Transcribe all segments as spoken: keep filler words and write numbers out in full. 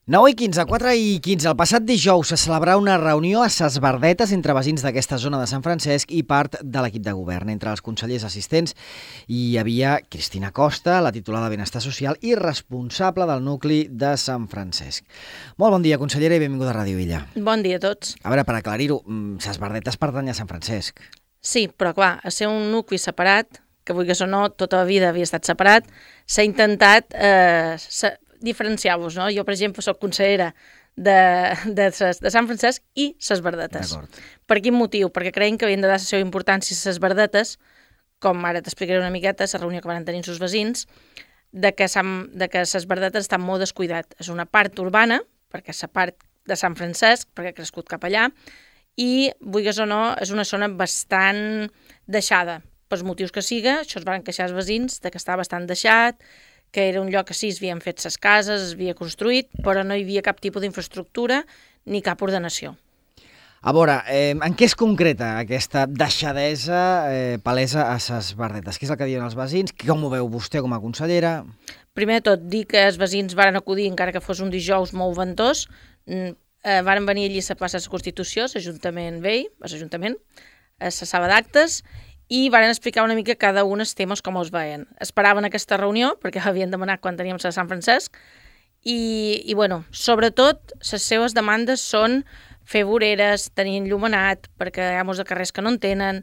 nou i quinze, quatre i quinze. El passat dijous se celebrà una reunió a Ses Verdetes entre veïns d'aquesta zona de Sant Francesc i part de l'equip de govern. Entre els consellers assistents hi havia Cristina Costa, la titular de Benestar Social i responsable del nucli de Sant Francesc. Molt bon dia, consellera, i benvinguda a Ràdio Illa. Bon dia a tots. A veure, per aclarir-ho, Ses Verdetes pertany a Sant Francesc. Sí, però clar, a ser un nucli separat, que vulguis o no, tota la vida havia estat separat, s'ha intentat eh, se diferenciar-vos, no? Jo, per exemple, soc consellera de, de, de Sant Francesc i Ses Verdetes. Per quin motiu? Perquè creiem que havien de dar la seva importància a Ses Verdetes, com ara t'explicaré una miqueta, la reunió que van tenir els seus veïns, de que, Sant, de que Ses Verdetes està molt descuidat. És una part urbana, perquè és la part de Sant Francesc, perquè ha crescut cap allà, i, vulguis o no, és una zona bastant deixada. Pels motius que siga, això es van queixar els veïns, de que està bastant deixat, que era un lloc que sí, es havien fet ses cases, es havia construït, però no hi havia cap tipus d'infraestructura ni cap ordenació. A veure, eh, en què es concreta aquesta deixadesa eh, palesa a Ses Verdetes? Què és el que diuen els veïns? Com ho veu vostè com a consellera? Primer de tot, dir que els veïns varen acudir, encara que fos un dijous molt ventós, eh, varen venir allí a la plaça de la Constitució, l'Ajuntament vell, l'Ajuntament, a la sala d'actes, i van explicar una mica cada un els temes com els veien. Esperaven aquesta reunió, perquè l'havien demanat quan teníem a Sant Francesc, i, i bueno, sobretot, les seves demandes són fer voreres, tenir enllumenat, perquè hi ha molts de carrers que no en tenen,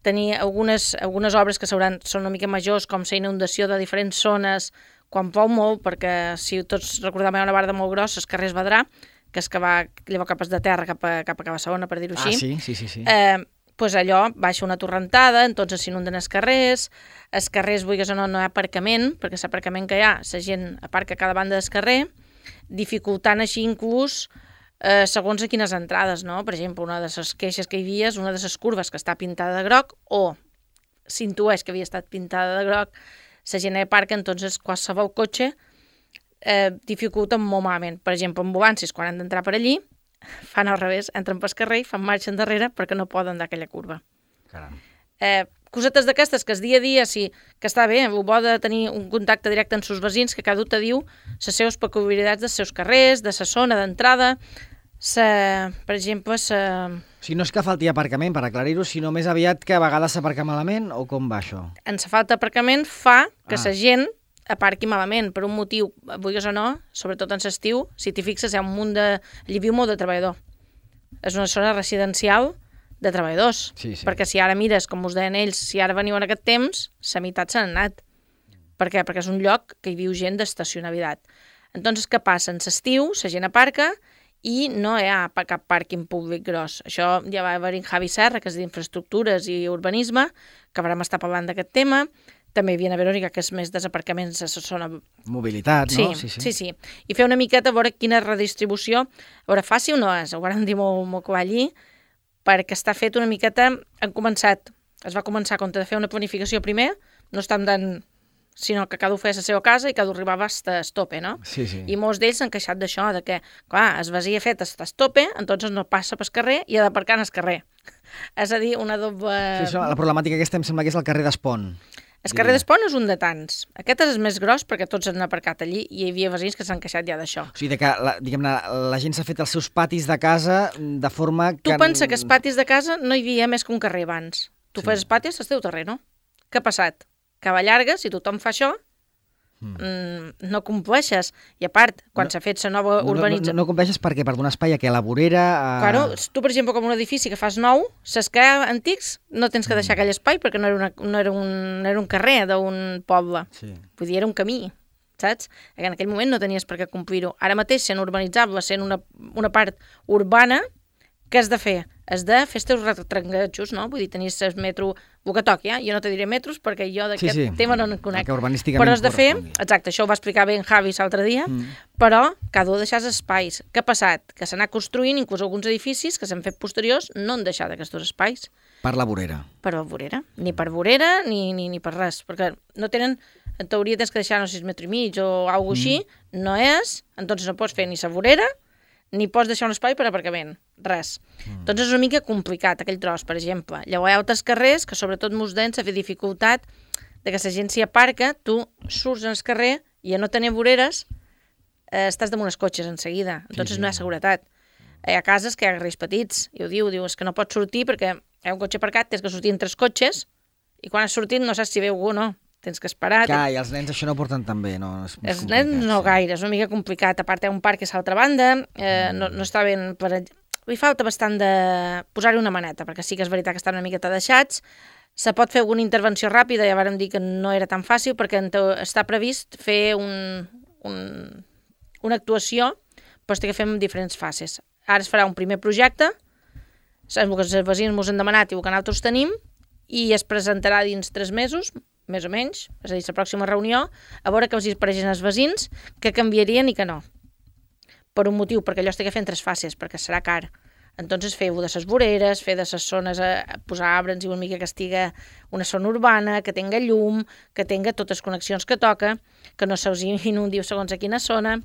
tenir algunes, algunes obres que són una mica majors, com la inundació de diferents zones, quan plou molt, perquè si tots recordem una barda molt grossa, els carrers Vedrà, que és que va llevar capes de terra cap a, cap a Cabassona, per dir-ho així. Ah, sí, sí, sí. sí. Eh, pues allò baixa una torrentada, entonces s'inunden els carrers, els carrers, vulguis o no, no hi ha aparcament, perquè l'aparcament que hi ha, la gent aparca a cada banda del carrer, dificultant així inclús eh, segons a quines entrades, no? Per exemple, una de les queixes que hi havia és una de les curves que està pintada de groc, o s'intueix que havia estat pintada de groc, la gent hi aparca, entonces qualsevol cotxe eh, dificulta molt malament. Per exemple, ambulàncies, quan han d'entrar per allí, fan al revés, entren pel carrer i fan marxa endarrere perquè no poden dar aquella curva. Caram. Eh, cosetes d'aquestes que es dia a dia, sí, que està bé, el bo de tenir un contacte directe amb els seus veïns, que cada un te diu les seves peculiaritats dels seus carrers, de la zona d'entrada, per exemple, sa... O sigui, no és que falti aparcament, per aclarir-ho, sinó més aviat que a vegades s'aparca malament, o com va això? En la falta d'aparcament fa que Ah. la gent aparqui malament, per un motiu, vulguis o no, sobretot en l'estiu, si t'hi fixes, hi ha un munt de... Allí viu molt de treballador. És una zona residencial de treballadors. Sí, sí. Perquè si ara mires, com us deien ells, si ara veniu en aquest temps, la meitat s'han anat. Per què? Perquè és un lloc que hi viu gent d'estacionabilitat. Entonces, què passa? En l'estiu, la gent aparca i no hi ha cap pàrquing públic gros. Això ja va haver-hi en Javi Serra, que és d'Infraestructures i Urbanisme, que vam estar parlant d'aquest tema. També hi havia a Verònica, que és més desaparcaments a la zona... Mobilitat, no? Sí, sí, sí, sí. I fer una miqueta a veure quina redistribució... A veure, fàcil no és, ho vam dir molt, molt clar allí, perquè està fet una miqueta... Han començat, es va començar a compte de fer una planificació primer, no estem dant... sinó que cada un feia la seva casa i cada un arribava a tope, no? Sí, sí. I molts d'ells s'han queixat d'això, de que, clar, es vasia fet a tope, entonces no passa pel carrer i ha d'aparcar en el carrer. És a dir, una doble... Sí, això, la problemàtica aquesta em sembla que és el carrer d'Espont. El carrer d'Espont és un de tants. Aquest és el més gros perquè tots han aparcat allí i hi havia veïns que s'han queixat ja d'això. O sigui, de que la, diguem-ne, la gent s'ha fet els seus patis de casa de forma que... Tu pensa que els patis de casa no hi havia més que un carrer abans. Tu Sí. fes els patis al teu terrer, no? Què ha passat? Que va llarga, si tothom fa això, mm, no compleixes. I a part, quan No- s'ha fet la nova No, no, urbanització... no, no compleixes perquè per donar espai a que la vorera... A... Claro, tu, per exemple, com un edifici que fas nou, les que hi ha antics no tens que deixar aquell espai perquè no era, una, no era, un, no era un carrer d'un poble. Sí. Vull dir, era un camí, saps? En aquell moment no tenies per què complir-ho. Ara mateix, sent urbanitzable, sent una, una part urbana, què has de fer? Has de fer els teus retrangatjos, no? Vull dir, tenies el metro, el que toqui, eh? Jo no te diré metros perquè jo d'aquest Sí, sí. tema no en El conec. que urbanísticament Però has de fer, correspongui. exacte, això ho va explicar bé en Javi l'altre dia, Mm. però cada un deixar espais. Què ha passat? Que s'ha anat construint, inclús alguns edificis que s'han fet posteriors no han deixat aquests espais Per la vorera. per la vorera. Ni per vorera ni, ni, ni per res. Perquè no tenen, en teoria tens que deixar, no sé, sis metres i mig o alguna cosa així, no és, entonces no pots fer ni la vorera ni pots deixar un espai per aparcament, res. Mm. Doncs és una mica complicat aquell tros, per exemple. Llavors hi ha altres carrers que sobretot molts d'ells s'ha fet dificultat de que la gent s'hi aparca, tu surts al carrer i a no tenir voreres eh, estàs damunt els cotxes en seguida, entonces no hi ha seguretat. Hi ha cases que hi ha carrers petits, i ho diu, diu, és que no pots sortir perquè hi ha un cotxe aparcat, tens que sortir en tres cotxes, i quan has sortit no saps si ve algú o no, tens que esperar. Clar, i els nens això no porten tan bé, no? És els nens no gaire, és una mica complicat, a part hi ha un parc que és a l'altra banda, eh, no, no està ben... Per... Li falta bastant de posar-hi una maneta, perquè sí que és veritat que estan una miqueta deixats. Se pot fer alguna intervenció ràpida, ja vàrem dir que no era tan fàcil, perquè està previst fer un, un, una actuació, però té que fer en diferents fases. Ara es farà un primer projecte, el que els veïns ens han demanat i el que nosaltres tenim, i es presentarà dins tres mesos, més o menys, és a dir, la pròxima reunió, a veure que els apareixen els veïns, que canviarien i que no. Per un motiu, perquè allò es té que fer en tres fases, perquè serà car. Entonces feu de les voreres, fer de les zones, a, a posar arbres i una mica que estigui una zona urbana, que tenga llum, que tenga totes les connexions que toca, que no se'ls inundi segons a quina zona.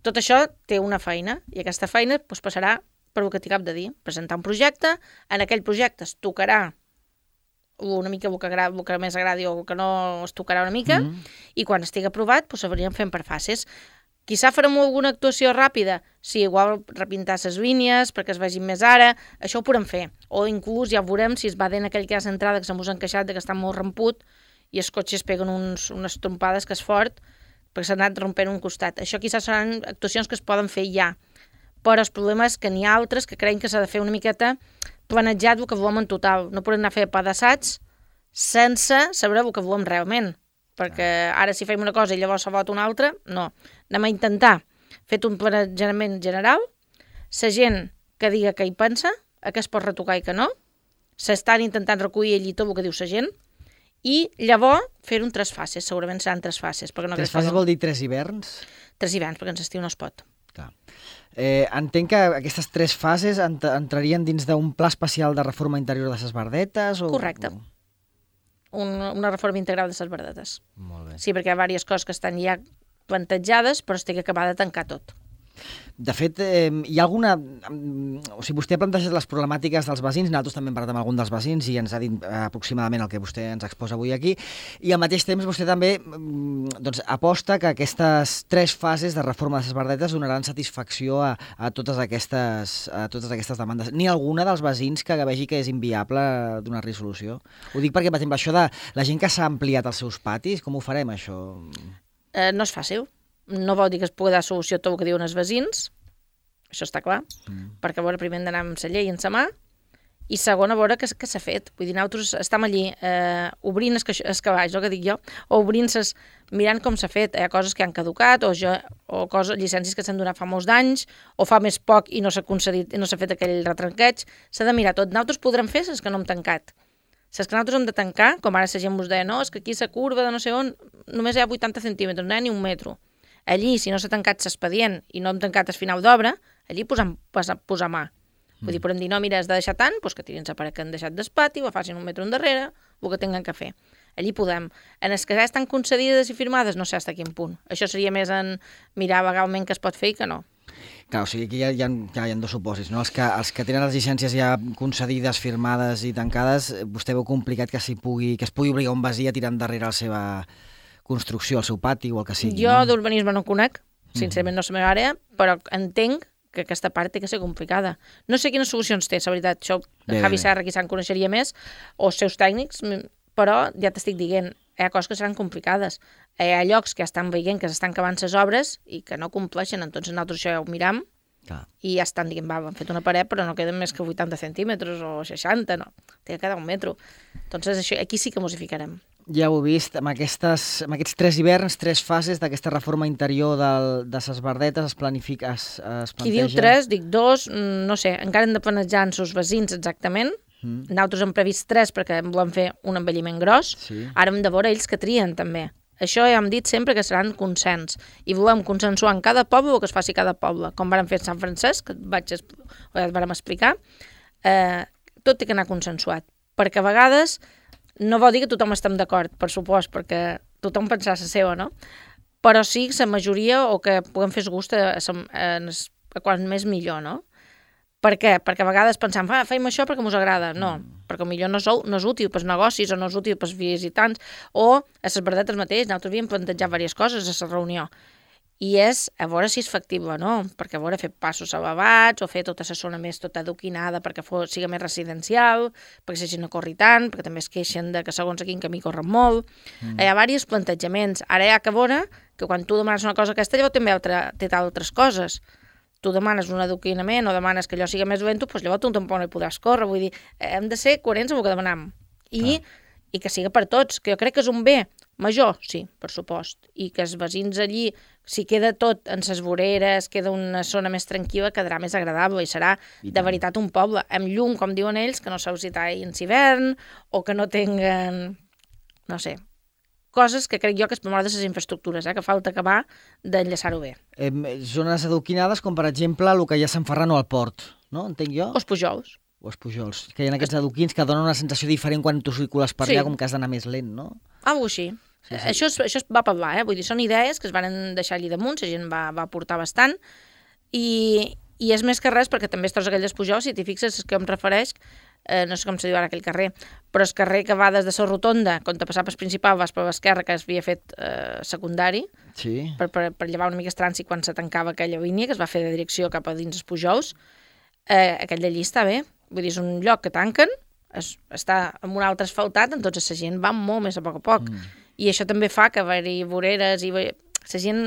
Tot això té una feina, i aquesta feina doncs, passarà per el que t'hi cap de dir, presentar un projecte, en aquell projecte es tocarà una mica el que, agrada, el que més agradi o el que no es tocarà una mica, mm. i quan estigui aprovat doncs, s'hauríem fent per fases. Quizà farem alguna actuació ràpida, sí, igual repintar les línies perquè es vegin més ara, això ho podem fer. O inclús ja veurem si es va en aquell que hi ha centrada que se mos ha encaixat, que està molt ramput, i els cotxes peguen uns, unes trompades que és fort, perquè s'ha anat rompent un costat. Això quizás seran actuacions que es poden fer ja, però el problema és que n'hi ha altres que creiem que s'ha de fer una miqueta planejat el que volem en total. No podem anar a fer pedaçats sense saber el que volem realment, perquè ara si fem una cosa i llavors se vota una altra, no. Anem a intentar fer un planejament general, la gent que diga què hi pensa, a què es pot retocar i què no, s'estan intentant recollir allí tot el que diu la gent, i llavors fer un tres fases, segurament seran tres fases. No tres fases vol dir tres hiverns? Tres hiverns, perquè en l'estiu no es pot. Clar. Eh, entenc que aquestes tres fases ent entrarien dins d'un pla especial de reforma interior de les Verdetes? O... Correcte. Un, una reforma integral de les Verdetes. Molt bé. Sí, perquè hi ha diverses coses que estan ja plantejades, però es té que acabar de tancar tot. De fet, eh, hi ha alguna... O sigui, vostè ha plantejat les problemàtiques dels veïns, nosaltres també hem parlat amb algun dels veïns i ens ha dit aproximadament el que vostè ens exposa avui aquí, i al mateix temps vostè també doncs, aposta que aquestes tres fases de reforma de les Verdetes donaran satisfacció a, a, totes aquestes, a totes aquestes demandes. Ni alguna dels veïns que vegi que és inviable donar resolució? Ho dic perquè, per exemple, això de la gent que s'ha ampliat els seus patis, com ho farem, això? Eh, no és fàcil. No vol dir que es pugui dar solució a tot el que diuen els veïns, això està clar, mm. perquè a veure, primer hem d'anar amb la llei en sa mà, i segon, a veure què, què s'ha fet. Vull dir, nosaltres estem allí eh, obrint els cavalls, el que dic jo, o obrint-ses, mirant com s'ha fet. Hi ha coses que han caducat, o, jo, o coses, llicències que s'han donat fa molts d'anys, o fa més poc i no s'ha concedit, no s'ha fet aquell retranqueig. S'ha de mirar tot. Nosaltres podrem fer les que no hem tancat. Les que nosaltres hem de tancar, com ara la gent us deia, no, és que aquí la curva de no sé on, només hi ha vuitanta centímetres, no hi ha ni un metro. Allí, si no s'ha tancat l'expedient i no hem tancat el final d'obra, allí posem, posar, posar mà. Mm. Vull dir, podem dir, no, mira, has de deixar tant, doncs que tirin la paret que han deixat d'espati, o facin un metre endarrere, el que tinguin que fer. Allí podem. En els que ja estan concedides i firmades, no sé fins a quin punt. Això seria més en mirar legalment què es pot fer i què no. Clar, o sigui, aquí hi ha, hi ha, hi ha dos supòsits, no? Els que, els que tenen les llicències ja concedides, firmades i tancades, vostè veu complicat que, pugui, que es pugui obligar un veí a tirar endarrere la seva construcció, al seu pati o el que sigui. Jo no? d'urbanisme no conec, sincerament no és la meva àrea, però entenc que aquesta part té que ser complicada. No sé quines solucions té, la veritat, això bé, Javi Serra qui se'n coneixeria més, o els seus tècnics, però ja t'estic dient, hi ha coses que seran complicades. Hi ha llocs que estan veient que s'estan acabant les obres i que no compleixen, entonces nosaltres això ja ho miram. Clar. I ja estan dient, va, han fet una paret, però no queden més que vuitanta centímetres o seixanta, no, té que quedar un metro. Entonces això, aquí sí que mos hi ficarem. Ja ho he vist, amb, aquestes, amb aquests tres hiverns, tres fases d'aquesta reforma interior del, de les Verdetes es planifica, es, es planteja... Qui diu tres, dic dos, no sé, encara hem de planejar amb els veïns exactament. Mm. Nosaltres hem previst tres perquè volem fer un envelliment gros. Sí. Ara hem de veure ells que trien també. Això ja hem dit sempre que seran consens. I volem consensuar en cada poble el que es faci a cada poble. Com vam fer a Sant Francesc, que vaig, o ja et vam explicar, eh, tot té que anar consensuat. Perquè a vegades... No vol dir que tothom estem d'acord, per supost, perquè tothom pensarà la seva, no? Però sí que la majoria, o que puguem fer gust a, a, a, a quan més millor, no? Per què? Perquè a vegades pensam, ah, fem això perquè mos agrada. No, mm. perquè potser no és, no és útil pels negocis, o no és útil pels visitants, o a les Verdetes mateix, nosaltres havíem plantejat diverses coses a la reunió. i és a veure si és factible o no, perquè a veure fer passos elevats o fer tota la zona més tota adoquinada perquè fos, sigui més residencial, perquè la gent no corri tant, perquè també es queixen de que segons a quin camí corren molt. Mm. Hi ha diversos plantejaments. Ara hi ha que veure que quan tu demanes una cosa aquesta, llavors també altra, té altres coses. Tu demanes un adoquinament o demanes que allò sigui més dolent, doncs llavors tu tampoc no hi podràs córrer. Vull dir, hem de ser coherents amb el que demanem. I, i que sigui per tots, que jo crec que és un bé major, sí, per supost, i que els veïns allí, si queda tot en ses voreres, queda una zona més tranquil·la, quedarà més agradable i serà I de veritat un poble, amb llum, com diuen ells, que no s'ha usat en hivern, o que no tinguen, no sé, coses que crec jo que és per mort de les infraestructures, eh, que falta acabar d'enllaçar-ho bé. Eh, zones adoquinades, com per exemple el que hi ha a Sant Ferran o al Port, no? Entenc jo? O els Pujols. O els Pujols, que hi ha aquests adoquins que donen una sensació diferent quan tu circules per allà, sí. Com que has d'anar més lent, no? Algo així. Sí, sí. Això, és, això es va parlar, eh? Vull dir, són idees que es van deixar allí damunt, la gent va, va portar bastant, i, i és més que res, perquè també es troba aquell dels Pujols, si t'hi fixes, és que em refereix, eh, no sé com se diu ara aquell carrer, però és carrer que va des de la rotonda, quan te passaves principal, vas per l'esquerra, que es havia fet eh, secundari, sí. per, per, per llevar una mica el trànsit quan se tancava aquella línia, que es va fer de direcció cap a dins els Pujols, eh, aquell d'allí està bé, vull dir, és un lloc que tanquen, es, està amb un altre asfaltat, entonces la gent va molt més a poc a poc. Mm. I això també fa que haver-hi voreres i la gent...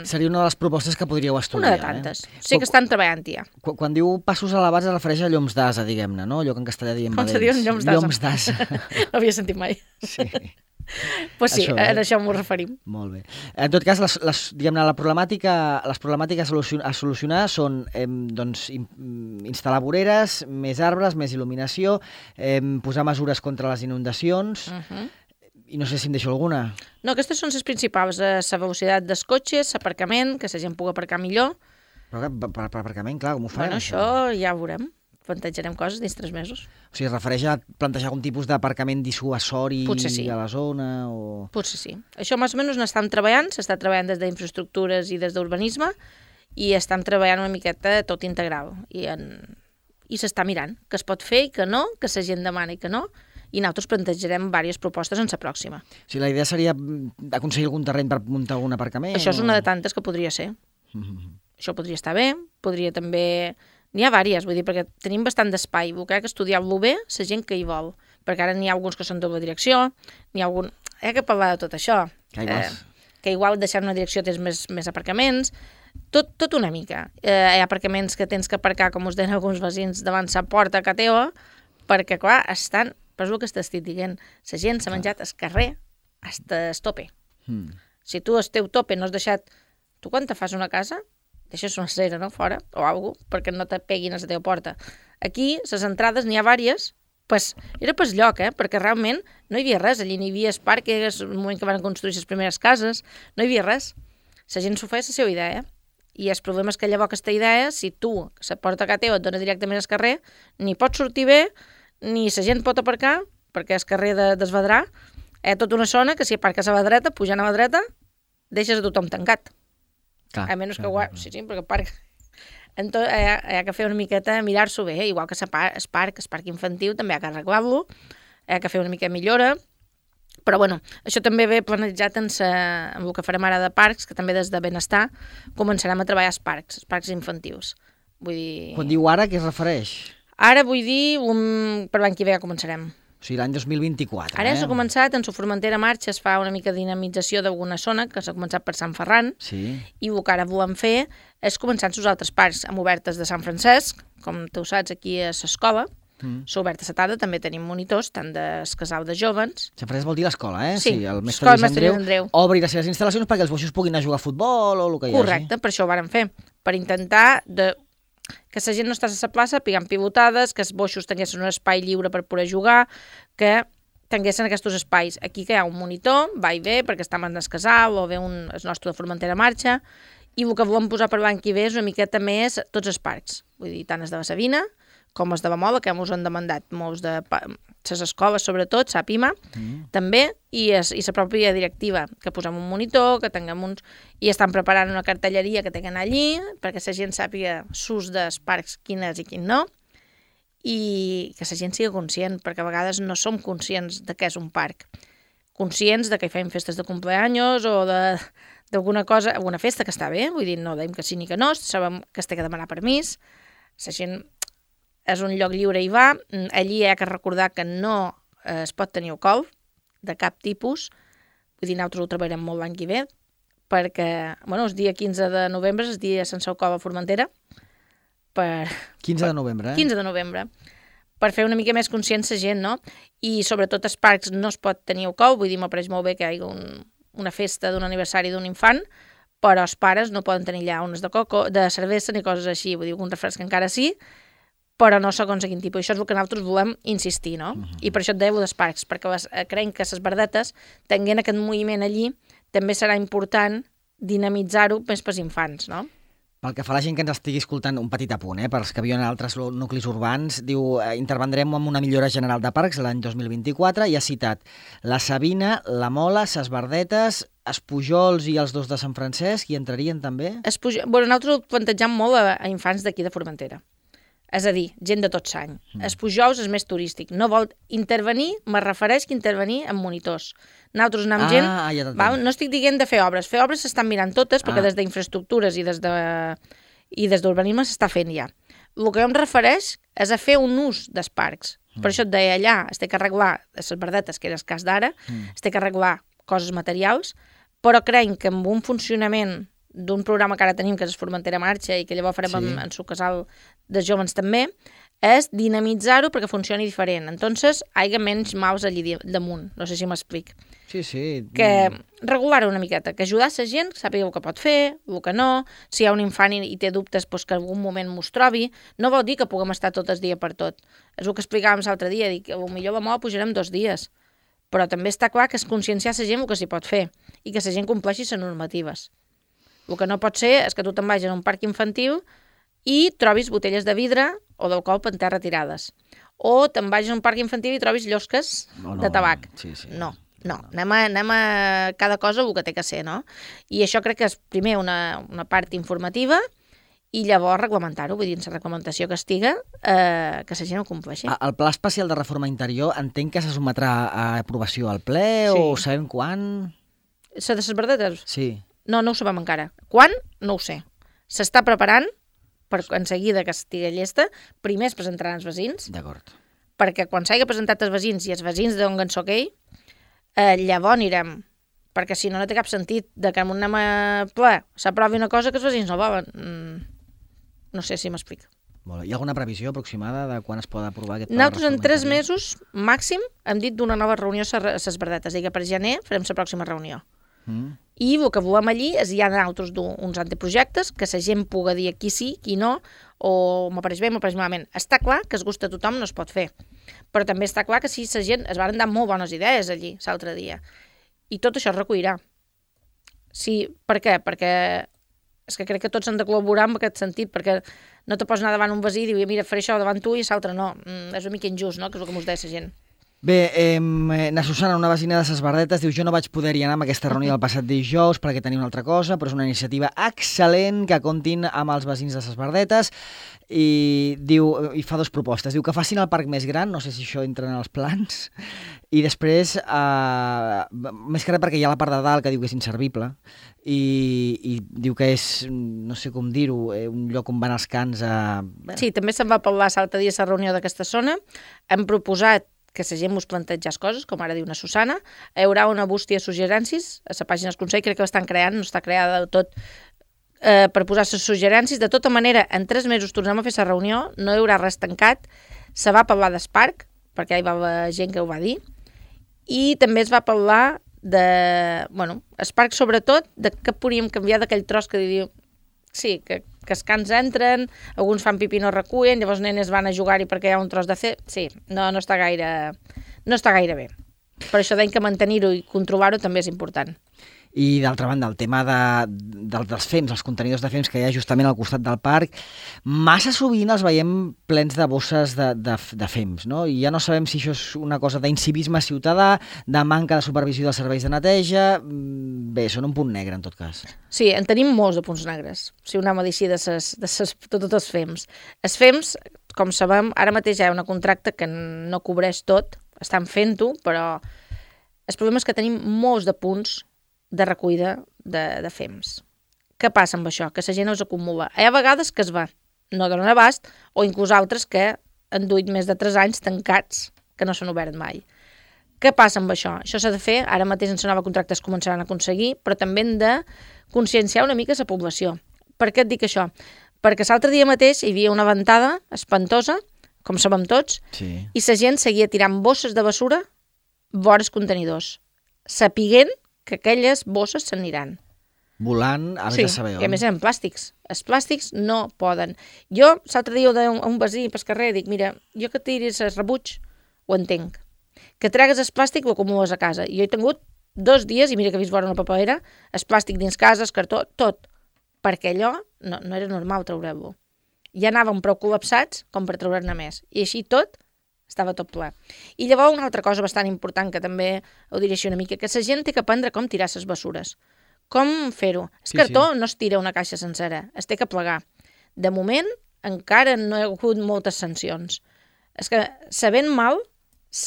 Seria una de les propostes que podríeu estudiar. Una de tantes. Eh? Sé que estan treballant ja. Quan, quan diu passos elevats es refereix a lloms d'asa, diguem-ne, no? Allò que en castellà diem com badents. Com se diuen lloms d'asa? Lloms d'asa. No havia sentit mai. Sí. Pues sí, això, eh? eh? a això m'ho referim. Molt bé. En tot cas, les, les, diguem-ne, la problemàtica, les problemàtiques a solucionar, a solucionar són eh, doncs, instal·lar voreres, més arbres, més il·luminació, eh, posar mesures contra les inundacions... Uh-huh. I no sé si em deixo alguna. No, aquestes són les principals. La velocitat dels cotxes, l'aparcament, que la gent pugui aparcar millor. Però per, per, per aparcament, clar, com ho farem? Bueno, això, això ja ho veurem. Plantejarem coses dins tres mesos. O sigui, es refereix a plantejar algun tipus d'aparcament dissuasori sí. a la zona? O... Potser sí. Això més o menys n'estem treballant, s'està treballant des d'infraestructures i des d'urbanisme, i estem treballant una miqueta tot integral. I, en... I s'està mirant què es pot fer i que no, que la gent demana i que no, i nosaltres plantejarem diverses propostes en la pròxima. O sigui, la idea seria aconseguir algun terreny per muntar algun aparcament? Això és o... una de tantes que podria ser. Mm-hmm. Això podria estar bé, podria també... N'hi ha diverses, vull dir, perquè tenim bastant d'espai, vull que estudiar-lo bé la gent que hi vol, perquè ara n'hi ha alguns que són doble direcció, n'hi ha algun... Hi ha que parlar de tot això. Que igual, eh, que igual deixar una direcció tens més, més aparcaments, tot, tot una mica. Eh, hi ha aparcaments que tens que aparcar, com us deien alguns veïns, davant la porta a ca teva, perquè, clar, estan... Però és el que t'estic dient. La gent s'ha menjat al carrer hasta el tope. Mm. Si tu el teu tope no has deixat... Tu quan te fas una casa, deixes una cera, no?, fora, o alguna cosa, perquè no te peguin a la teva porta. Aquí, les entrades, n'hi ha diverses, pues, era pel lloc, eh?, perquè realment no hi havia res. Allí no hi havia el parc, era el moment que van construir les primeres cases, no hi havia res. La gent s'ho feia la seva idea, i el problema és que llavors aquesta idea, si tu, la porta a casa teva et dona directament al carrer, ni pots sortir bé, ni la gent pot aparcar, perquè és carrer de, d'Esvedrà, hi ha tota una zona que si aparques a la dreta, pujant a la dreta, deixes a tothom tancat. Clar, a menys clar, que guard... Sí, sí, perquè parc... Entonces, hi, ha, hi ha que fer una miqueta, mirar-s'ho bé, igual que el parc, el parc infantil, també hi ha que arreglar-lo, hi ha que fer una mica millora, però bueno, això també ve planejat en, sa, en el que farem ara de parcs, que també des de Benestar començarem a treballar els parcs, els parcs infantils. Vull dir... Quan diu ara, què es refereix? Ara vull dir, un... per l'any que ve ja començarem. O sigui, l'any dos mil vint-i-quatre. Ara eh? s'ha començat, en la Formentera Marxa es fa una mica de dinamització d'alguna zona, que s'ha començat per Sant Ferran, sí. I el que ara volem fer és començar amb els altres parcs, amb obertes de Sant Francesc, com tu saps, aquí a l'escola, mm. s'ha obert a la tarda, també tenim monitors, tant del casal de jovens... Sant Francesc vol dir l'escola, eh? Sí, sí el mestre l'escola Lluís Andreu, Andreu obri les seves instal·lacions perquè els boixos puguin anar a jugar a futbol o el que hi hagi. Correcte, per això ho vàrem fer, per intentar de... que la gent no estàs a la plaça pigant pivotades, que els boixos tinguessin un espai lliure per poder jugar, que tinguessin aquests espais. Aquí que hi ha un monitor, va i ve, perquè està en el casal, o ve un, el nostre de Formentera Marxa, i el que volem posar per l'any que ve és una miqueta més tots els parcs. Vull dir, tant els de la Sabina, com els de la Mola, que ens han demandat molts de les escoles, sobretot, Sàpima, mm. també, i, es, i la pròpia directiva, que posem un monitor, que tinguem uns... I estan preparant una cartelleria que tenen allí, perquè la gent sàpiga l'ús dels parcs, quin és i quin no, i que la gent sigui conscient, perquè a vegades no som conscients de què és un parc. Conscients de que hi fem festes de cumpleaños o de, d'alguna cosa, alguna festa que està bé, vull dir, no deim que sí ni que no, sabem que es té que demanar permís, la gent és un lloc lliure i va, allí hi ha que recordar que no eh, es pot tenir alcohol de cap tipus, vull dir, nosaltres ho treballarem molt l'any que ve, perquè, bueno, el dia quinze de novembre és el dia sense alcohol a Formentera, per... quinze de novembre, eh? quinze de novembre, per fer una mica més conscient la gent, no? I sobretot als parcs no es pot tenir alcohol, vull dir, m'apareix molt bé que hi hagi un, una festa d'un aniversari d'un infant, però els pares no poden tenir allà unes de coco, de cervesa ni coses així, vull dir, un refresc encara sí, però no segons a quin tipus. Això és el que nosaltres volem insistir, no? Uh-huh. I per això et deia dels parcs, perquè les, creiem que les verdetes, tenint aquest moviment allí, també serà important dinamitzar-ho més pels infants, no? Pel que fa a la gent que ens estigui escoltant, un petit apunt, eh, per als que viuen en altres nuclis urbans, diu, eh, intervendrem amb una millora general de parcs l'any dos mil vint-i-quatre, i ha citat la Sabina, la Mola, ses Verdetes, els Pujols i els dos de Sant Francesc, hi entrarien també? Es Pujo... bueno, nosaltres ho plantejam molt a, a infants d'aquí de Formentera. És a dir, gent de tot l'any. Mm. Els Pujols és més turístic. No vol intervenir, me refereix que intervenir amb monitors. Nosaltres anem amb ah, gent... Ja va, no estic dient de fer obres. Fer obres s'estan mirant totes, perquè ah. des d'infraestructures i des de i des d'urbanisme s'està fent ja. El que em refereix és a fer un ús dels parcs. Mm. Per això et deia allà, es té que arreglar les verdetes, que era el cas d'ara, mm. es té que arreglar coses materials, però creiem que amb un funcionament d'un programa que ara tenim, que és Formentera Marxa, i que llavors farem sí. en, en su casal de jóvens també, és dinamitzar-ho perquè funcioni diferent. Entonces, hi ha menys maus allí damunt. No sé si m'explic. Sí, sí. Que regular-ho una miqueta, que ajudar la gent, sàpiga el que pot fer, el que no, si hi ha un infant i, i té dubtes, doncs que en algun moment m'ho trobi. No vol dir que puguem estar tot el dia per tot. És el que explicàvem l'altre dia, dic que potser la moda pujarem dos dies, però també està clar que és conscienciar la gent el que s'hi pot fer i que la gent compleixi les normatives. El que no pot ser és que tu te'n vagis a un parc infantil i trobis botelles de vidre o d'alcohol per terra tirades. O te'n vagis a un parc infantil i trobis llosques no, no, de tabac. Sí, sí. No, no. Anem a, anem a cada cosa el que té que ser, no? I això crec que és primer una, una part informativa i llavors reglamentar-ho, vull dir, la reglamentació que estiga, eh, que la gent ho compleixi. El Pla Especial de Reforma Interior entenc que se sotmetrà a aprovació al ple sí. o sabem quan? Se de les verdetes? Sí. No, no ho sabem encara. Quan? No ho sé. S'està preparant per en seguida que estigui llesta. Primer es presentaran els veïns. D'acord. Perquè quan s'hagi presentat els veïns i els veïns d'on en soc ell, eh, llavors anirem. Perquè si no, no té cap sentit de que en un anem a ple s'aprovi una cosa que els veïns no volen. Mm, no sé si m'explico. Molt bé. Hi ha alguna previsió aproximada de quan es pot aprovar aquest pla? Nosaltres en tres mesos, màxim, hem dit d'una nova reunió a les verdetes. És a dir, que per gener farem la pròxima reunió. Mm. I el que volem allí és hi ha altres uns anteprojectes que la gent puga dir qui sí, qui no, o m'apareix bé, m'apareix malament. Està clar que es gusta a tothom no es pot fer, però també està clar que sí, la gent es van dar molt bones idees allí l'altre dia, i tot això es recollirà. Sí, per què? Perquè és que crec que tots han de col·laborar en aquest sentit, perquè no te pots anar davant un veí i dir, mira, faré això davant tu i l'altre no. Mm, és una mica injust, no?, que és el que mos deia la gent. Bé, eh, na Susana, una vecina de ses Verdetes, diu jo no vaig poder-hi anar amb aquesta reunió el passat dijous perquè tenia una altra cosa, però és una iniciativa excel·lent que comptin amb els veïns de ses Verdetes i diu i fa dues propostes. Diu que facin el parc més gran, no sé si això entra en els plans, i després, eh, més que res perquè hi ha la part de dalt que diu que és inservible i, i diu que és, no sé com dir-ho, eh, un lloc on van els cans a... Bé. Sí, també se'n va parlar l'altre dia a la reunió d'aquesta zona. Hem proposat que la gent mos planteja coses, com ara diu una Susana. Hi haurà una bústia de suggerències a la pàgina del Consell, crec que l'estan creant, no està creada del tot, eh, per posar les suggerències. De tota manera, en tres mesos tornem a fer la reunió, no hi haurà res tancat, se va parlar del parc, perquè hi va haver gent que ho va dir, i també es va parlar de, bueno, el parc sobretot, de què podríem canviar d'aquell tros que diu, sí, que, que els cans entren, alguns fan pipí i no recullen, llavors els nenes van a jugar-hi perquè hi ha un tros de fer... Sí, no, no, està gaire, no està gaire bé. Per això deim que mantenir-ho i controlar-ho també és important. I d'altra banda, el tema de, de, dels fems, els contenidors de fems que hi ha justament al costat del parc, massa sovint els veiem plens de bosses de, de, de fems, no? I ja no sabem si això és una cosa d'incivisme ciutadà, de manca de supervisió dels serveis de neteja... Bé, són un punt negre, en tot cas. Sí, en tenim molts de punts negres, si ho anem a dir així de, ses, de ses, tot, tots els fems. Els fems, com sabem, ara mateix hi ha una contracte que no cobreix tot, estan fent-ho, però el problema és que tenim molts de punts de recollida de, de fems. Què passa amb això? Que la gent els acumula. Hi ha vegades que es va, no donen abast, o inclús altres que han duit més de tres anys tancats, que no s'han obert mai. Què passa amb això? Això s'ha de fer, ara mateix en la nova contracte es començaran a aconseguir, però també hem de conscienciar una mica la població. Per què et dic això? Perquè l'altre dia mateix hi havia una ventada espantosa, com sabem tots, sí. i la gent seguia tirant bosses de bessura vora els contenidors, sapiguent que aquelles bosses s'aniran. Volant, a sí, de saber on. i a més eren plàstics. Els plàstics no poden. Jo, l'altre dia, a un, un veí pel carrer, dic, mira, jo que tiris el rebuig, ho entenc. Que tregues el plàstic, ho acumules a casa. Jo he tingut dos dies, i mira que he vist vora una paperera, el plàstic dins casa, el cartó, tot. Perquè allò no, no era normal treure-lo. Ja anàvem prou col·lapsats com per treure-ne més. I així tot, estava tot ple. I llavors una altra cosa bastant important, que també ho diré així una mica, que la gent té que aprendre com tirar les bessures. Com fer-ho? El Sí, cartó sí. no es tira una caixa sencera, es té que plegar. De moment, encara no hi ha hagut moltes sancions. És que, sabent mal,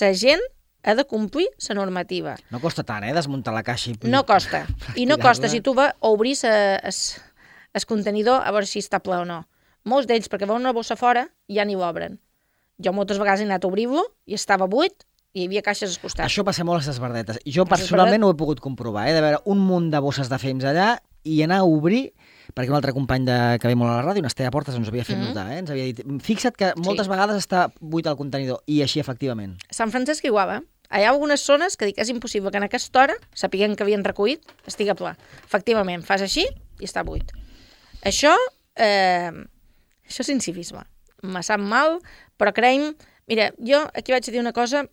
la gent ha de complir la normativa. No costa tant, eh, desmuntar la caixa i... No costa. I no tirar-la. costa si tu vas a obrir el contenidor a veure si està ple o no. Molts d'ells, perquè veuen una bossa fora, ja ni l'obren. Jo moltes vegades he anat a obrir-lo i estava buit, i hi havia caixes als costats. Això passa molt a les verdetes. Jo A ses personalment verdetes- ho he pogut comprovar, eh? De veure un munt de bosses de fems allà i anar a obrir, perquè un altre company de, que ve molt a la ràdio, un Estella Portes, ens ho havia fet Mhm. notar, eh? Ens havia dit, fixa't que moltes Sí. vegades està buit el contenidor, i així efectivament. Sant Francesc igual, eh? Hi ha algunes zones que dic que és impossible que en aquesta hora, sapiguem que havien recollit, estigui ple. Efectivament, fas així i està buit. Això, eh, això és incivisme. Me sap mal, però creiem... Mira, jo aquí vaig dir una cosa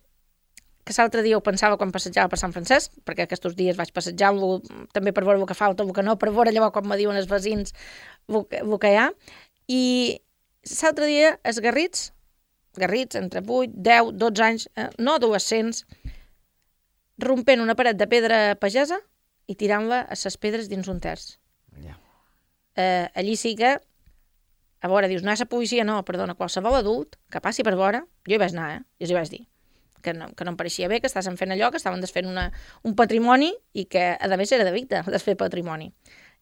que l'altre dia ho pensava quan passejava per Sant Francesc, perquè aquests dies vaig passejar-lo també per veure el que falta, el que no, per veure llavors quan me diuen els veïns el que, el que hi ha. I l'altre dia els garrits, garrits entre vuit, deu, dotze anys, eh, no adolescents, rompent una paret de pedra pagesa i tirant-la a les pedres dins un terç. Ja. Eh, allí sí que, a veure, dius, no és la policia, no, perdona, qualsevol adult que passi per vora, jo hi vaig anar, eh? Jo els hi vaig dir que no, que no em pareixia bé, que estaven fent allò, que estaven desfent una, un patrimoni i que, a més, era delicte desfer patrimoni.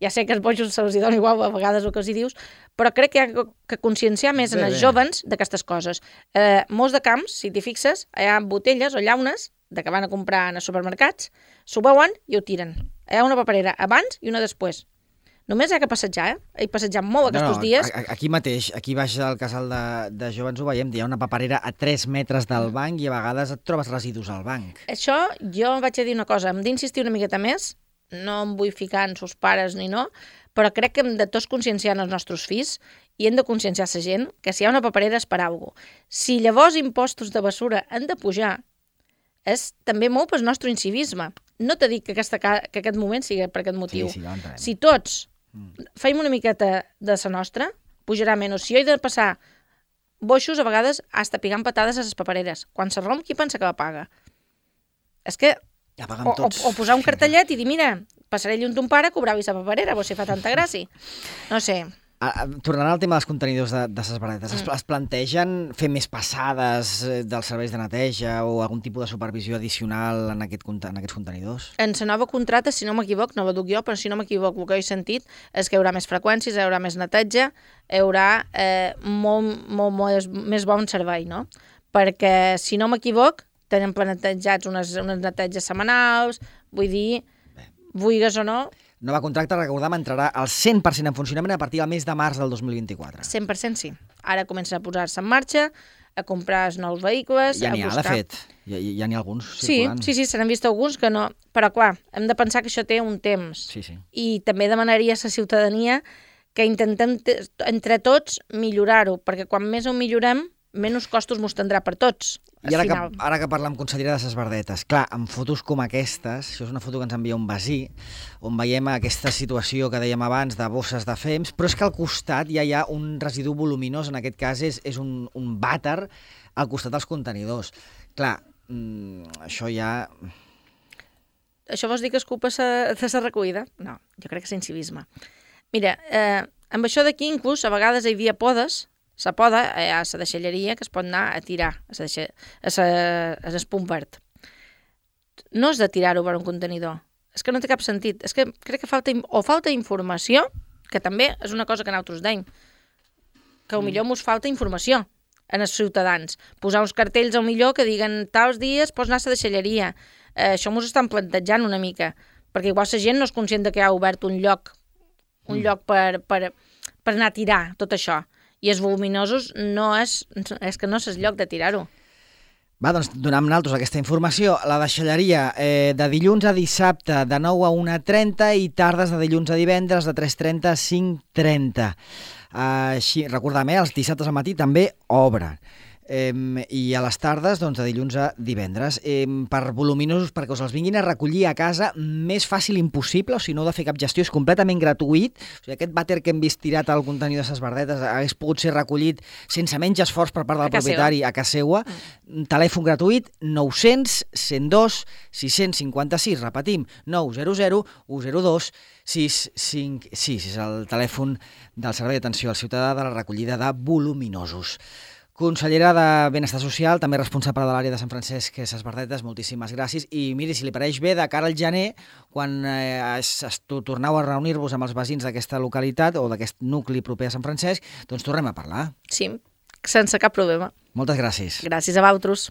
Ja sé que els bojos se'ls dona igual a vegades el que els hi dius, però crec que hi ha que conscienciar més Bé, en els bé. jovens d'aquestes coses. Eh, molts de camps, si t'hi fixes, hi ha botelles o llaunes de que van a comprar en els supermercats, s'ho veuen i ho tiren. Hi ha una paperera abans i una després. Només hi ha que passejar, eh? He passejat molt aquests dies. a- a- aquí mateix, aquí baix del casal de, de jovens ho veiem, hi ha una paperera a tres metres del banc i a vegades et trobes residus al banc. Això, jo vaig a dir una cosa, hem d'insistir una miqueta més, no em vull ficar en sus pares ni no, però crec que hem de tots conscienciar els nostres fills i hem de conscienciar la gent que si hi ha una paperera és per alguna cosa. Si llavors impostos de bessura han de pujar, és també molt pel nostre incivisme. No t'he dit que, aquesta, ca- que aquest moment sigui per aquest motiu. Sí, sí, ja ho entenem. Si tots feim una miqueta de la nostra, pujarà menys. Si jo he de passar boixos, a vegades, hasta pigant patades a les papereres. Quan se romp, qui pensa que la paga? És que Ja paguen o, o, tots. o posar un cartellet i dir, mira, passaré lluny ton pare, cobrar-li la paperera, vos si fa tanta gràcia. No sé. Ah, ah, Tornant al tema dels contenidors de, de ses verdetes, es, Mm. es plantegen fer més passades eh, dels serveis de neteja o algun tipus de supervisió addicional en, aquest, conte- en aquests contenidors? En la nova contracta, si no m'equivoc, no la duc jo, però si no m'equivoc, el que he sentit és que hi haurà més freqüències, hi haurà més neteja, hi haurà eh, molt, molt, molt més bon servei, no? Perquè, si no m'equivoc, tenen planejats unes, unes neteges setmanals, vull dir, vulgues o no, Nova contracte, recordem, entrarà al cent per cent en funcionament a partir del mes de març del dos mil vint-i-quatre. cent per cent sí. Ara comença a posar-se en marxa, a comprar els nous vehicles, Ja a n'hi ha, de buscar... fet. Ja, ja n'hi ha alguns Sí, circulant. sí, sí, se n'han vist alguns que no... Però, clar, hem de pensar que això té un temps. Sí, sí. I també demanaria a la ciutadania que intentem te- entre tots millorar-ho, perquè quan més ho millorem, menys costos mos tindrà per tots. I ara que, final. ara que parlam, consellera, de ses verdetes, clar, amb fotos com aquestes, això és una foto que ens envia un veí, on veiem aquesta situació que dèiem abans de bosses de fems, però és que al costat ja hi ha un residu voluminós, en aquest cas és, és un, un vàter al costat dels contenidors. Clar, mm, això ja... Això vols dir que és culpa sa- de la recollida? No, jo crec que és incivisme. Mira, eh, amb això d'aquí inclús a vegades hi havia podes, la poda eh, a la deixalleria que es pot anar a tirar a la a l'espum verd. No és de tirar-ho per un contenidor, és que no té cap sentit. És que crec que falta, o falta informació, que també és una cosa que nosaltres deim, que potser mos falta informació en els ciutadans. Posar uns cartells al millor que diguen tals dies pots anar a la deixalleria. Eh, això mos estan plantejant una mica, perquè igual la gent no és conscient de que ha obert un lloc un mm. lloc per, per, per anar a tirar tot això. I els voluminosos no és, és que no és el lloc de tirar-ho. Va, doncs donem nosaltres aquesta informació. La deixalleria eh, de dilluns a dissabte de nou a una trenta i tardes de dilluns a divendres de tres trenta a cinc trenta. Així, recordem, eh, els dissabtes al matí també obren. Eh, i a les tardes, doncs, de dilluns a divendres, eh, per voluminosos, perquè us els vinguin a recollir a casa, més fàcil impossible, o si no heu de fer cap gestió, és completament gratuït. O sigui, aquest vàter que hem vist tirat al contenidor de les verdetes hagués pogut ser recollit sense menys esforç per part del a propietari a casa seva. Mm. Telèfon gratuït, nou-cents, cent dos, sis-cents cinquanta-sis, repetim, nou zero zero u zero dos sis cinc sis, és el telèfon del Servei d'Atenció al Ciutadà de la recollida de voluminosos. Consellera de Benestar Social, també responsable de l'àrea de Sant Francesc Ses Verdetes, moltíssimes gràcies. I miri, si li pareix bé, de cara al gener, quan eh, es, es, torneu a reunir-vos amb els veïns d'aquesta localitat o d'aquest nucli proper a Sant Francesc, doncs tornem a parlar. Sí, sense cap problema. Moltes gràcies. Gràcies a vosaltres.